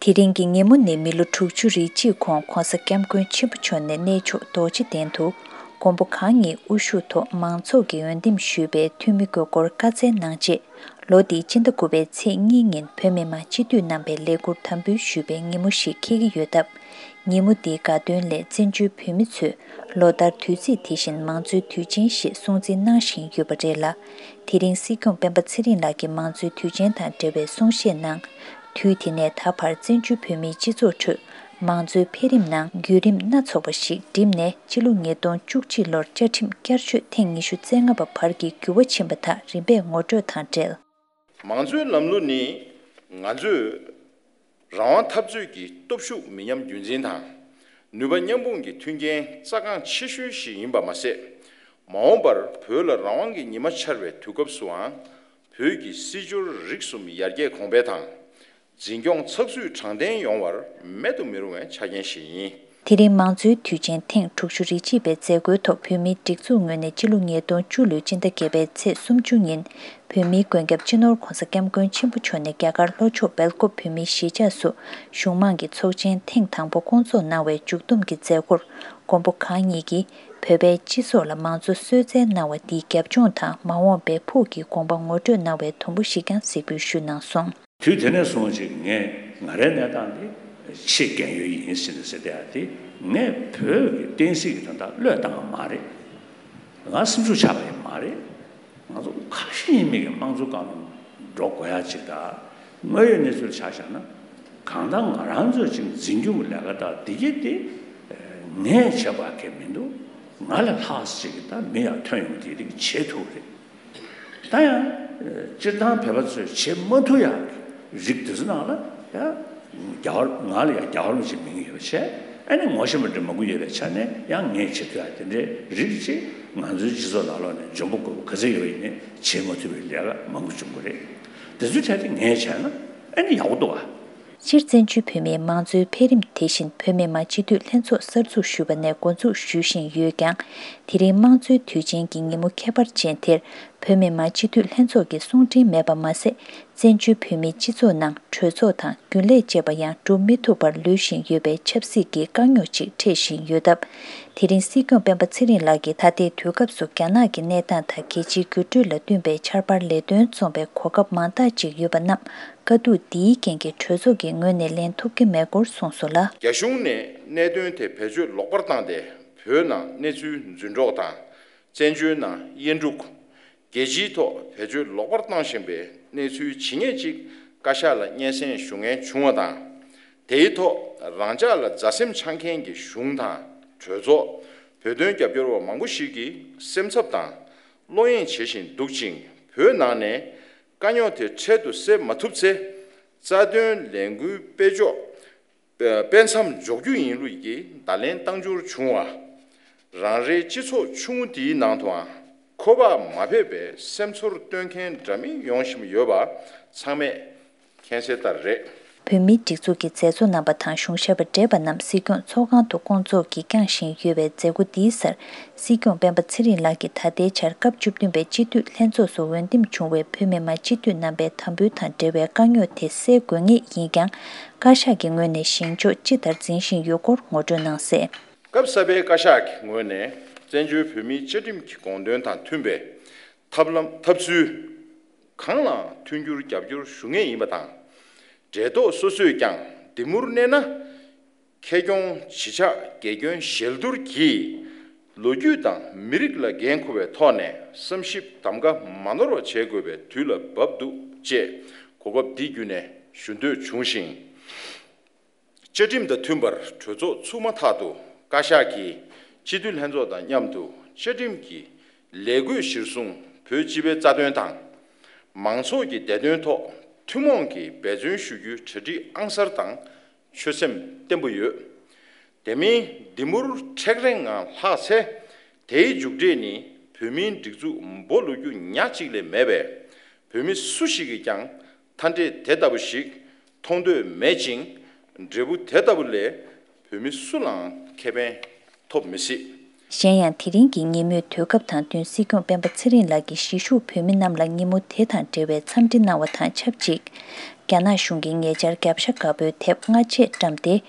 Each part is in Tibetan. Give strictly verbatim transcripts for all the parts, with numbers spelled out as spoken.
དེ་རིང་གི་ཉིན་མོ་ནི་མི་ལོ་དྲུག་ཅུ་རེ་གཅིག་གོང་༧གོང་ས་༧སྐྱབས་མགོན་ཆེན་པོ་མཆོག་ནས་གནས་མཆོག་རྡོ་རྗེ་གདན་དུ་མགོན་པོ་གང་ཉིད་དབུ་བཞུགས་ཐོག་མང་ཚོགས་ཀྱིས་འོས་འདེམས་ཞུས་པའི་འཐུས་མི་དགོས་སྐོར་བཀའ་སྩལ་གནང་རྗེས། ལོ་འདིའི་སྤྱི་ཟླ་དགུ་པའི་ཚེས་གཉིས་ཉིན་བོད་མི་མང་སྤྱི་འཐུས་རྣམ་པས་ལས་འཁུར་དམ་འབུལ་ཞུས་པའི་ཉིན་མོ་ཞིག་འཁེལ་གྱི་ཡོད་སྟབས། ཉིན་མོ་འདིའི་དགའ་སྟོན་སླད་བཙན་བྱོལ་བོད་མི་ཚོས་ལོ་ལྟར་དུས་ཚིགས་དེ་བཞིན་མང་གཙོའི་དུས་ཆེན་ཞེས་སྲུང་བརྩི་གནང་བཞིན་ཡོད་པ་རེད་ལ། དེ་རིང་སྲིད་སྐྱོང་སྤེན་པ་ཚེ་རིང་ལགས་ཀྱིས་མང་གཙོའི་དུས་ཆེན་དང་འབྲེལ་བའི་གསུང་བཤད་ནང་། དུས་དེ་ནས་ད་བར་བཙན་བྱོལ་བོད་མིའི་སྤྱི་ཚོགས་ཁྲོད་མང་གཙོའི་འཕེལ་རིམ་ནང་བརྒྱུད་རིམ་སྣ་ཚོགས་པ་ཞིག་བསྒྲིམས་ནས་སྤྱི་ལོ་ཉིས་སྟོང་བཅུ་གཅིག་ལོར་བཅའ་ཁྲིམས་བསྐྱར་བཅོས་ཐེངས་ཉི་ཤུ་རྩ་ལྔ་པ་བར་གྱི་འགྱུར་བ་ཕྱིན་པ་དག་རིམ་པས་ངོ་སྤྲོད་དང་འབྲེལ། མང་གཙོའི་ལམ་ལུགས་ནི་ང་ཚོས་རང་དབང་འཐབ་རྩོད་ཀྱི་སྟོབས་ཤུགས་མི་ཉམས་རྒྱུན་འཛིན་དང་། ནུས་པ་མཉམ་སྤུངས་ཀྱི་མཐུན་རྐྱེན་རྩ་འགངས་ཆེ་ཤོས་ཤིག་ཡིན་པ་མ་ཟད། མ་འོངས་པར་བོད་ལ་རང་དབང་གི་ཉི་མ་འཆར་བའི་དུས་སྐབས་སུའང་། བོད་ཀྱི་སྲིད་འབྱོར་རིག་གསུམ་ཡར་རྒྱས་གོང་འཕེལ་དང་། འཛིན་སྐྱོང་ཚགས་ཚུད་དྲང་བདེན་ཡོང་བར་མེད་དུ་མི་རུང་བའི་ཆ་རྐྱེན་ཞིག་ཡིན། དེ་རིང་མང་གཙོའི་དུས་ཆེན་ཐེངས་དྲུག་ཅུ་རེ་གཅིག་པའི་མཛད་སྒོའི་ཐོག་བོད་མིའི་སྒྲིག་འཛུགས་ངོས་ནས་སྤྱི་ལོ་ཉིས་སྟོང་བཅུ་ལོའི་སྤྱི་ཟླ་བརྒྱད་པའི་ཚེས་སུམ་ཅུ་ཉིན་བོད་མིའི་མགོན་སྐྱབས་སྤྱི་ནོར་༧གོང་ས་༧སྐྱབས་མགོན་ཆེན་པོ་མཆོག་ནས་རྒྱ་གར་ལྷོ་ཕྱོགས་སྦེལ་ཀོབ་བོད་མིའི་གཞིས་ཆགས་སུ་གཞུང་མང་གི་ཚོགས་ཆེན་ཐེངས་དང་པོ་བསྐོང་ཚོགས་གནང་བའི་མཇུག་བསྡོམས་ཀྱི་མཛད་སྒོར་མགོན་པོ་གང་ཉིད་ཀྱིས་བོད་པའི་སྤྱི་ཚོགས་ལ་མང་གཙོ་གསོལ་སྩལ་གནང་བ་འདིའི་རྒྱབ་ལྗོངས་དང་མ་འོངས་པའི་ཕུགས་ཀྱི་དགོངས་པ་ངོ་སྤྲོད་གནང་བའི་དུམ་བུ་ཞིག་ཀྱང་གཟིགས་འབུལ་ཞུས་གནང་སོང་། དུས་དེ་ནས་བཟུང་ཅིག་ངས་ང་རའི་གནས་སྟངས་འདི་ཆེས་རྒན་ཡོལ་ཡིན་ཟེར་ནས་ཟེར་བསྡད་ཡ་དེ། ངས་བོད་ཀྱི་བསྟན་སྲིད་ཀྱི་དོན་དག་བློས་བཏང་བ་མ་རེད། ང་སེམས་ཤུགས་ཆག་པ་ཡང་མ་རེད། ང་ཚོ་ཁ་ཞེ་གཉིས་མེད་ཀྱི་དམངས་གཙོ་སྒང་ལ་འགྲོ་དགོས་ཡ་ཅིག་དང་། དངོས་ཡོད་གནས་ཚུལ་ཆ་བཞག་ན། གང་ལྟར་ང་རང་ཚོས་ཅིག་འཛིན་སྐྱོང་གི་ལས་ཀ་དང་འདི་གྱད་དེ་ངས་བྱེད་པ་གང་མི་འདུག་ང་ལས་ལྷག་ཅིག་གི་ད་མི་ཡར་ཐོན་ཡོང་དེ་རིགས་བྱེད་ཐུབ་རེད། ད་ཡང་སྤྱིར་བཏང་བོད་པ་ཚོས་བྱེད་མ་ཐུབ་ཡག་གི་རིགས་དེ་ཚོ་ནང་ལ་ཡང་རྒྱལ་བ་ང་ལ་ཡང་རྒྱལ་བ་རིན་པོ་ཆེའི་མིང་ཡོད་པ་བྱས། ཨ་ནི་ངོ་ཤེས་པ་འདྲ་མང་པོ་ཡོད་པའི་ཆ་ནས་ཡང་ངས་བྱེད་ཐུབ་ཡག་དེ་འདྲའི་རིགས་ཅིག་ང་ཚོའི་སྤྱི་ཚོགས་ནང་ལོགས་ནས་འཇོན་པོ་རྒོད་པོ་ག་ཚོད་ཡོད་པ་ཡིན་ནའི་བྱེད་མ་ཐུབ་པའི་ལས་ཀ་མང་པོ་བྱུང་གི་རེད། དེ་ཚོའི་གྲས་དེ་ངས་བྱས་ན་ཨ་ནི་ཡག་པོ་འདུག་ཨ། སྤྱིར་བཙན་བྱོལ་བོད་མིའི་མང་གཙོའི་འཕེལ་རིམ་དེ་བཞིན་བོད་མི་མང་སྤྱི་འཐུས་ལྷན་ཚོགས་གསར་འཛུགས་ཞུས་པ་ནས་འགོ་འཛུགས་ཞུ་བཞིན་ཡོད་ཀྱང་། དེ་རིང་དམངས་གཙོའི་དུས་ཆེན་གྱི་ཉིན་མོ་ཁྱད་པར་ཅན་དེར་བོད་མི་མང་སྤྱི་འཐུས་ལྷན་ཚོགས་ཀྱི་གསུང་འཕྲིན་མེད་པ་མ་ཟད། བཙན་བྱོལ་བོད་མིའི་སྤྱི་ཚོགས་ནང་གྲོས་ཚོགས་དང་རྒྱུན་ལས་བཅས་པ་ཡང་སྒྲུབ་མི་ཐུབ་པར་ལུས་བཞིན་ཡོད་པའི་ཆབ་སྲིད་ཀྱི་དཀའ་རྙོག་ཅིག་འཕྲད་བཞིན་ཡོད་སྟབས། དེ་རིང་སྲིད་སྐྱོང་སྤེན་པ་ཚེ་རིང་ལགས་ཀྱིས་ད་ལྟའི་དུས་སྐབས་སུ་རྒྱ་ནག་གི་གནས་སྟངས་དང་རྒྱལ་སྤྱིའི་འགྱུར་འགྲོས་ལ་བསྟུན་པའི་ཆར་པར་ལས་དོན་རྩོམ་པའི་གོ་སྐབས་མང་དག་ཅིག་ཡོད་པ་རྣམས། དཀའ་སྡུག་འདིའི་རྐྱེན་གྱིས་གྲོས་ཚོགས་ཀྱི་ངོས་ནས་ལེན་ཐུབ་ཀྱི་མེད་སྐོར་གསུངས་སོང་ལ། རྒྱ་གཞུང་ནས་གནད་དོན་དེ་བེད་སྤྱོད་ལོག་པར་བཏང་སྟེ་བོད་ནང་གནས་ཚུལ་རྫུན་སྒྲོག་དང་། བཙན་བྱོལ་ནང་དབྱེན་དཀྲུག་རྒྱལ་སྤྱིའི་ཐོག་བེད་སྤྱོད་ལོག་པར་བཏང་བཞིན་པའི་གནས་ཚུལ་ཇི་སྙེད་ཅིག་བཀའ་ཤག་ལ་སྙན་སེང་ཞུ་མཁན་བྱུང་བ་དང་། དེའི་ཐོག་རང་ཅག་ལ་མཛའ་སེམས་འཆང་མཁན་གྱི་གཞུང་དང་གྲོས་ཚོགས། བོད་དོན་རྒྱབ་སྐྱོར་བ་མང་པོ་ཞིག་གིས་སེམས་འཚབ་དང་། བློ་གཡེང་བྱེད་བཞིན་འདུག་ཅིང་། བོད་ནང་ནས་དཀའ་རྙོག་དེ་འཕྲལ་དུ་སེལ་མ་ཐུབ་ཚེ། རྩ་དོན་ལས་འགུལ་སྤེལ་ཕྱོགས་སྤེལ་མཚམས་འཇོག་རྒྱུ་ཡིན་ལུགས་ཀྱི་བརྡ་ལན་བཏང་འབྱོར་བྱུང་བ། རང་རེའི་སྤྱི་ཚོགས་ཆུང་ངུ་འདིའི་ནང་དུའང་ཁོ་པ་མ་ཕེབས་པའི་སེམས་ཚོར་སྟོན་མཁན་འདྲ་མིན་ཡོང་བཞིན་ཡོད་པ་ཚང་མས་མཁྱེན་གསལ་ལྟར་རེད། བོད་མིའི་སྒྲིག་འཛུགས་ཀྱི་མཛད་གཙོ་རྣམ་པ་དང་གཞུང་ཞབས་པ་བགྲེས་པ་རྣམས་སྲིད་སྐྱོང་ཚོགས་ཁང་དུ་བསྐོང་ཚོགས་ཀྱིས་བསྐྱངས་བཞིན་ཡོད་པའི་མཛད་སྒོ་འདིའི་སར། སྲིད་སྐྱོང་སྤེན་པ་ཚེ་རིང་ལགས་ཀྱིས་ད་ལྟའི་ཆར་སྐབས་བཅུ་བདུན་པའི་སྤྱི་འཐུས་ལྷན་ཚོགས་སུ་འོས་འདེམས་བྱུང་བའི་བོད་མི་མང་སྤྱི་འཐུས་རྣམ་པའི་དམ་འབུལ་དང་འབྲེལ་བའི་དཀའ་རྙོག་དེ་སེལ་དགོས་ངེས་ཡིན་ཀྱང་། བཀའ་ཤག་གི་ངོས་ནས་བཞེངས་ཕྱོགས་ཅི་ལྟར་འཛིན་བཞིན་ཡོད་སྐོར་ངོ་སྤྲོད་གནང་གསལ། སྐབས་གསར་པའི་བཀའ་ཤག་གི་ངོས་ནས་བཙན་བྱོལ་བོད་མིའི་བཅའ་ཁྲིམས་ཀྱི་དགོངས་དོན་དང་མཐུན་པའི་ཐབས་ལམ་ཐབས་ཚུལ་གང་ལའང་མཐུན་འགྱུར་རྒྱབ་སྐྱོར་ཞུ་ངེས་ཡིན་པ་དང་། འབྲེལ་ཐོག་སོ་སོས་ཀྱང་འདི་མུར་གནས་ན། ཁེ་གྱོང་ཇི་ཆགས་དགེ་སྐྱོན་ཞལ་བསྡུར་གྱིས། ལོ་རྒྱུས་དང་མི་རིགས་ལ་འགན་འཁུར་བའི་ཐོག་ནས་བསམ་ཞིབ་གདམ་ག་མ་ནོར་བ་བྱེད་དགོས་པའི་དུས་ལ་བབ་འདུག་ཅེས་གོ་སྐབས་འདི་བརྒྱུད་ནས་ཞུ་འདོད་བྱུང་ཞིང་། བཅའ་ཁྲིམས་དང་མཐུན་པར་གྲོས་ཚོགས་ཚུགས་མ་ཐག་ཏུ་བཀའ་ཤག་གིས་སྤྱི་འཐུས་ལྷན་ཚོགས་དང་མཉམ་དུ་བཅའ་ཁྲིམས་ཀྱི་ལས་བགོས་གཞིར་བཟུང་བོད་སྤྱི་པའི་རྩ་དོན་དང་། མང་ཚོགས་ཀྱི་བདེ་དོན་ཐོག་ཐུན་མོང་གིས་འབད་བརྩོན་ཞུ་རྒྱུའི་གྲ་སྒྲིག་ཨང་གསར་དང་ཆོད་སེམས་བརྟན་པོ་ཡོད། དེ་མིན་འདི་མུར་མཁྲེགས་རེངས་ངང་ལྷག་ཚེ། དེའི་མཇུག་འབྲས་ནི་བོད་མིའི་སྒྲིག་འཛུགས་འབོ་ལོག་རྒྱུ་ཉག་གཅིག་ལས་མེད་པས། བོད་མི་སུ་ཞིག་གིས་ཀྱང་མཐའ་འབྲས་དེ་ལྟ་བུ་ཞིག་མཐོང་འདོད་མེད་ཅིང་། འབྲས་བུ་དེ་ལྟ་བུ་ལས་བོད་མི་སུ་ལའང་ཁེ་ཕན་ཐོབ་མི་སྲིད། གཞན་ཡང་། དེ་རིང་གི་ཉིན་མོའི་དུས་སྐབས་དང་བསྟུན། སྲིད་སྐྱོང་སྤེན་པ་ཚེ་རིང་ལགས་ཀྱིས་གཞིས་བཞུགས་བོད་མི་རྣམས་ལ་ཉིན་མོ་དེ་དང་འབྲེལ་བའི་འཚམས་འདྲི་གནང་བ་དང་ཆབས་ཅིག་རྒྱ་ནག་གཞུང་གིས་ཉེ་ཆར་རྒྱབ་ཤ་དཀར་པོའི་དེབ་སྔ་རྗེས་བཀྲམ་སྟེ།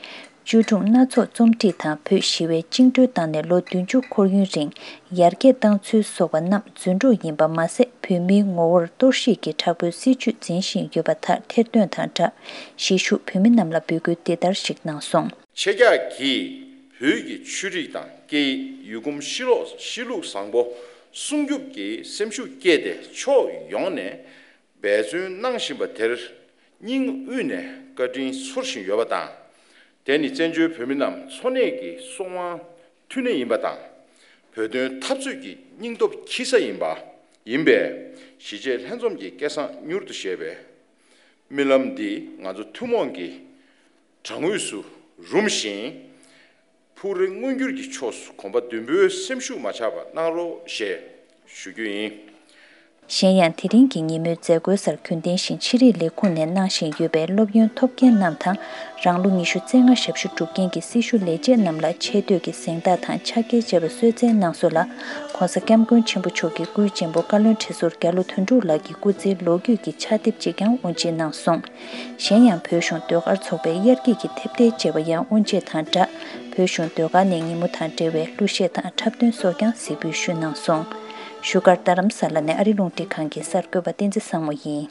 བཅོས་སྒྲུང་སྣ་ཚོགས་རྩོམ་སྒྲིག་དང་། བོད་ཞི་བའི་བཅིངས་འགྲོལ་བཏང་ནས་ལོ་བདུན་ཅུ་འཁོར་ཡུན་རིང་ཡར་རྒྱས་བཏང་ཚུལ་སོགས་པ་རྣམས་རྫུན་སྒྲོག་ཡིན་པ་མ་ཟད། བོད་མིའི་ངོ་བོར་གཏོར་བཤིག་གི་དྲག་པོའི་སྲིད་བྱུས་འཛིན་བཞིན་ཡོད་པ་དག་ཐེར་འདོན་དང་སྦྲགས། གཞིས་བཞུགས་བོད་མི་རྣམས་ལ་འབོད་སྐུལ་འདི་ལྟར་ཞིག་གནང་སོང་། ཁྱེད་ཅག་གིས་བོད་ཀྱི་ཆོས་རིག་དང་སྐད་ཡིག་ཡུལ་གོམས་གཤིས་ལོག་གཤིས་ལུགས་བཟང་པོ་སྲུང་སྐྱོབ་ཀྱི་སེམས་ཤུགས་བསྐྱེད་དེ་ཕྱོགས་ཡོངས་ནས་འབད་བརྩོན་གནང་བཞིན་པ་དེར་སྙིང་དབུས་ནས་བཀའ་དྲིན་ཚོར་བཞིན་ཡོད་པ་དང་། དེ་ནི་བཙན་བྱོལ་བོད་མི་རྣམས་འཚོ་གནས་ཀྱི་སྲོག་དབང་མཐུན་གནས་ཡིན་པ་དང་། བོད་དོན་འཐབ་རྩོད་ཀྱི་སྙིང་སྟོབས་འཁྱེར་ས་ཡིན་པ་ཡིན་པས། གཞིས་བྱེས་ལྷན་འཛོམས་ཀྱི་སྐལ་བཟང་མྱུར་དུ་བཞད་པའི་རྨི་ལམ་འདི་ང་ཚོ་ཐུན་མོང་གི་གྲངས་ངོས་སུ་རུམ་ཞིང་། ཕུགས་རེ་མངོན་འགྱུར་གྱི་ཕྱོགས་སུ་གོམ་པ་མདུན་སྤོས་སེམས་ཤུགས་མ་ཆག་པ་གནང་རོགས་ཞེས་ཞུ་རྒྱུ་ཡིན། གཞན་ཡང་། དེ་རིང་གི་ཉིན་མོའི་མཛད་སྒོའི་སར་རྒྱུན་ལྡན་བཞིན་ཆེད་རིག་ལས་ཁུངས་ནས་གནང་བཞིན་ཡོད་པའི་སློབ་ཡོན་ཐོབ་མཁན་རྣམས་དང་། རང་ལོ་ཉི་ཤུ་རྩ་ལྔ་ཞབས་ཞུ་གྲུབ་མཁན་གྱི་སྲི་ཞུ་ལས་བྱེད་རྣམས་ལ་ཆེ་བསྟོད་ཀྱི་གཟེངས་རྟགས་དང་ཕྱག་འཁྱེར་བཅས་པ་གསོལ་སྩལ་གནང་སོང་ལ། ྋགོང་ས་ྋསྐྱབས་མགོན་ཆེན་པོ་མཆོག་གི་སྐུའི་གཅེན་པོ་བཀའ་བློན་ཁྲི་ཟུར་རྒྱ་ལོ་དོན་གྲུབ་ལགས་ཀྱི་སྐུ་ཚེའི་ལོ་རྒྱུས་ཀྱི་ཕྱག་དེབ་ཅིག་ཀྱང་དབུ་འབྱེད་གནང་སོང་། གཞན་ཡང་། བོད་གཞུང་ཟློས་གར་ཚོགས་པའི་དབྱར་སྐྱིད་ཀྱི་ཐེབས་རྟའི་བཅར་བ་ཡང་དབུ་འབྱེད་དང་སྦྲགས། བོད་གཞུང་ཟློས་གར་ནས་ཉིན་མོ་དང་འབྲེལ་བའི་གླུ་གཞས་དང་འཁྲབ་སྟོན་སོགས་ཀྱང་གཟིགས་འབུལ་ཞུས་གནང་སོང་། བཞུགས་སྒར་རྡ་རམ་ས་ལ་ནས་ཨ་རི་རླུང་འཕྲིན་ཁང་གི་གསར་འགོད་པ་བསྟན་འཛིན་བཟང་མོ་ཡིན།